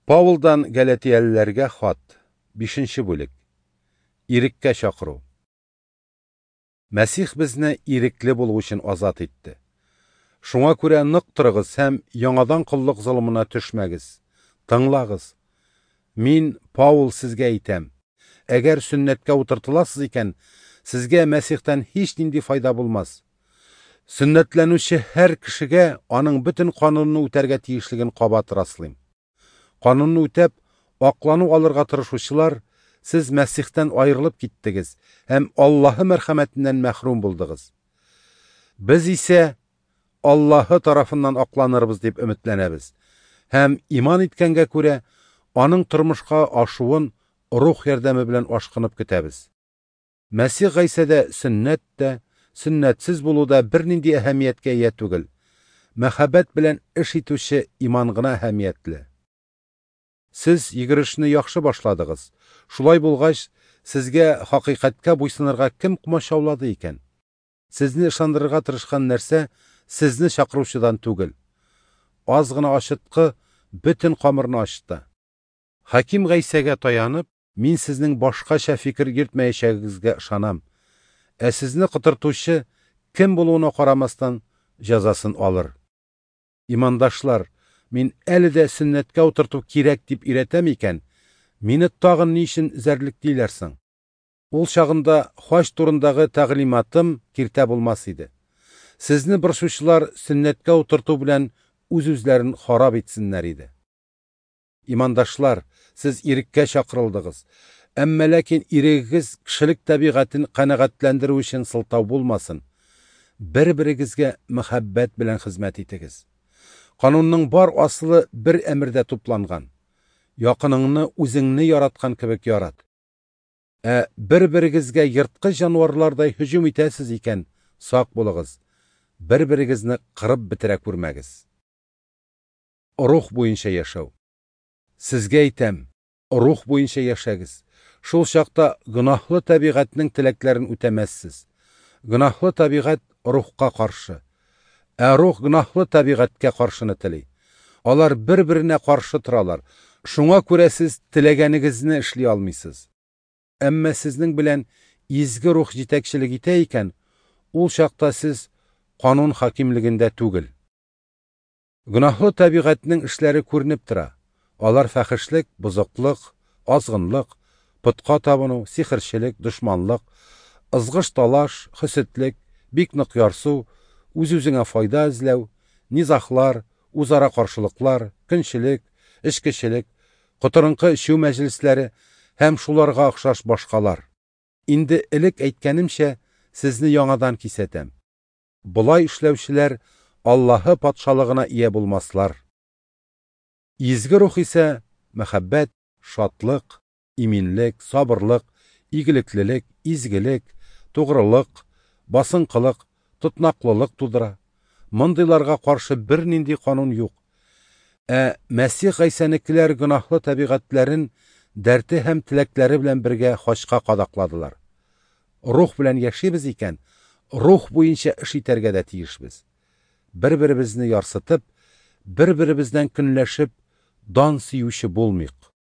Паулдан Галатиялеләргә хат, 5 бүлек. Иреккә чакыру. Мәсих безне ирекле булу өчен азат итте. Шуңа күрә нык торыгыз һәм яңадан коллык золымына төшмәгез. Тыңлагыз. Мин, Паул, сезгә әйтәм: әгәр сөннәткә утыртыласыз икән, сезгә Мәсихтән һичнинди файда булмас. Сөннәтләнүче һәр кешегә аның бөтен канунны үтәргә тиешлеген кабат раслыйм. Канунны үтәп, аклану алырга тырышучылар, сез Мәсихтән аерылып киттегез һәм Аллаһы мәрхәмәтеннән мәхрүм булдыгыз. Без исә Аллаһы тарафыннан акланырбыз дип өметләнәбез һәм иман иткәнгә күрә аның тормышка ашуын рух ярдәме белән ашкынып көтәбез. Мәсих Гайсәдә сөннәт тә, сөннәтсез булу да бернинди әһәмияткә ия түгел. Мәхәббәт белән эш итүче иман гына әһәмиятле. Сез йөгерешне яхшы башладыгыз. Шулай булгач, сезгә хакыйкатькә буйсынырга кем комачаулады икән? Сезне ышандырырга тырышкан нәрсә сезне чакыручыдан түгел. Аз гына ачыткы бөтен камырны ачыта. Хаким Гайсәгә таянып, мин сезнең башкача фикер йөртмәячәгегезгә ышанам. Ә сезне котыртучы кем булуына карамастан җәзасын алыр. Имандашлар, мин әле дә сөннәткә утырту кирәк дип өйрәтәм икән, мине тагын ни өчен эзәрлеклиләр соң? Ул чагында хаҗ турындагы тәгълиматым киртә булмас иде. Сезне борчучылар сөннәткә утырту белән үз-үзләрен харап итсеннәр иде. Имандашлар, сез иреккә чакырылдыгыз. Әмма ләкин ирегегез кешелек табигатен канәгатьләндерү өчен сылтау булмасын. Бер-берегезгә мәхәббәт белән хезмәт итегез. Канунның бар асылы бер әмердә тупланган. Якыныңны үзеңне яраткан кебек ярат. Ә бер-берегезгә ерткыч җанварлардай һөҗүм итәсез икән, сак булыгыз. Бер-берегезне кырып бетерә күрмәгез. Рух буенча яшәү. Сезгә әйтәм, рух буенча яшәгез. Шул чакта гөнаһлы табигатьнең теләкләрен үтәмәссез. Гөнаһлы табигать рухка каршы. Ә рух гөнаһлы табигатькә каршыны тели. Алар бер-беренә каршы торалар. Шуңа күрә сез теләгәнегезне эшли алмыйсыз. Әмма сезнең белән изге рух җитәкчелек итә икән, ул чакта сез канун хакимлегендә түгел. Гөнаһлы табигатьнең эшләре күренеп тора. Алар фәхешлек, бозыклык, азгынлык, потка табыну, сихерчелек, дошманлык, ызгыш-талаш, хөсетлек, бик нык ярсу, үз-үзеңә файда эзләү, низахлар, үзара каршылыклар, көнчелек, эчкечелек, котырынкы эчү мәҗлесләре һәм шуларга охшаш башкалар. Инде элек әйткәнемчә, сезне яңадан кисәтәм. Болай эшләүчеләр Аллаһы патшалыгына ия булмаслар. Изге рух исә мәхәббәт, шатлык, иминлек, сабырлык, игелеклелек, изгелек, тугрылык, басынкылык, тотнаклылык тудыра. Мондыйларга каршы бернинди канун юк. Ә Мәсих Гайсәнекеләр гөнаһлы табигатьләрен дәрте һәм теләкләре белән бергә хачка кадакладылар. Рух белән яшибез икән, рух буенча эш итәргә дә тиешбез. Бер-беребезне ярсытып, бер-беребездән көнләшеп, дан сөюче булмыйк.